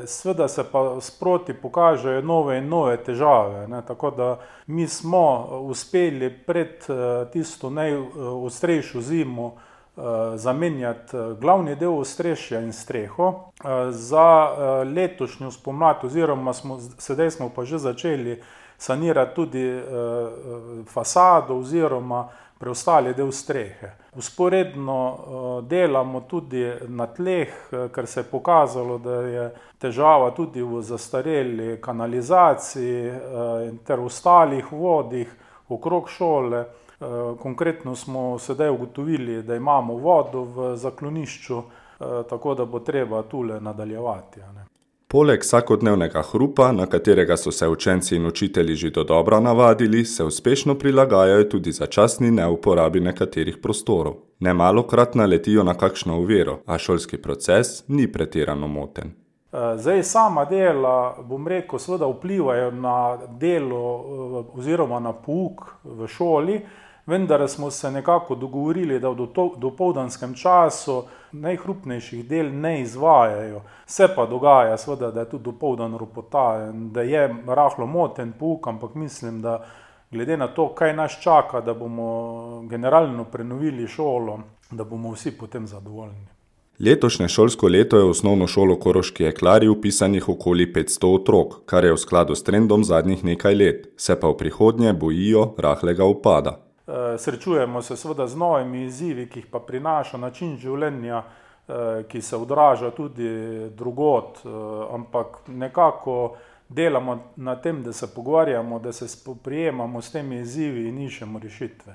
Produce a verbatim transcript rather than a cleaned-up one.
Seveda se pa sproti pokažejo nove in nove težave, ne, tako da mi smo uspeli pred tisto najostrejšo zimo zamenjati glavni del ostrešja in streho. Za letošnjo spomlad oziroma smo, sedaj smo pa že začeli sanirati tudi fasado oziroma preostali del strehe. Vzporedno delamo tudi na tleh, ker se je pokazalo, da je težava tudi v zastareli kanalizaciji ter ostalih vodih okrog šole. Konkretno smo sedaj ugotovili, da imamo vodo v zaklonišču, tako da bo treba tule nadaljevati. Poleg vsakodnevnega hrupa, na katerega so se učenci in učitelji že dodobra navadili, se uspešno prilagajajo tudi začasni neuporabi nekaterih prostorov. Nemalokrat naletijo na kakšno oviro, a šolski proces ni pretirano moten. Zdaj sama dela, bom rekel, seveda vplivajo na delo oziroma na pouk v šoli, vendar smo se nekako dogovorili, da v dopoldanskem času najhrupnejših del ne izvajajo. Se pa dogaja, seveda, da je tudi dopoldan ropota, da je rahlo moten pouk, ampak mislim, da glede na to, kaj nas čaka, da bomo generalno prenovili šolo, da bomo vsi potem zadovoljni. Letošnje šolsko leto je v osnovno šolo Koroški Jeklarji vpisanih okoli petsto otrok, kar je v skladu s trendom zadnjih nekaj let, se pa v prihodnje bojijo rahlega upada. Srečujemo se seveda z novimi izzivi, ki jih pa prinaša način življenja, ki se odraža tudi drugod, ampak nekako delamo na tem, da se pogovarjamo, da se spoprijemamo s temi izzivi in iščemo rešitve.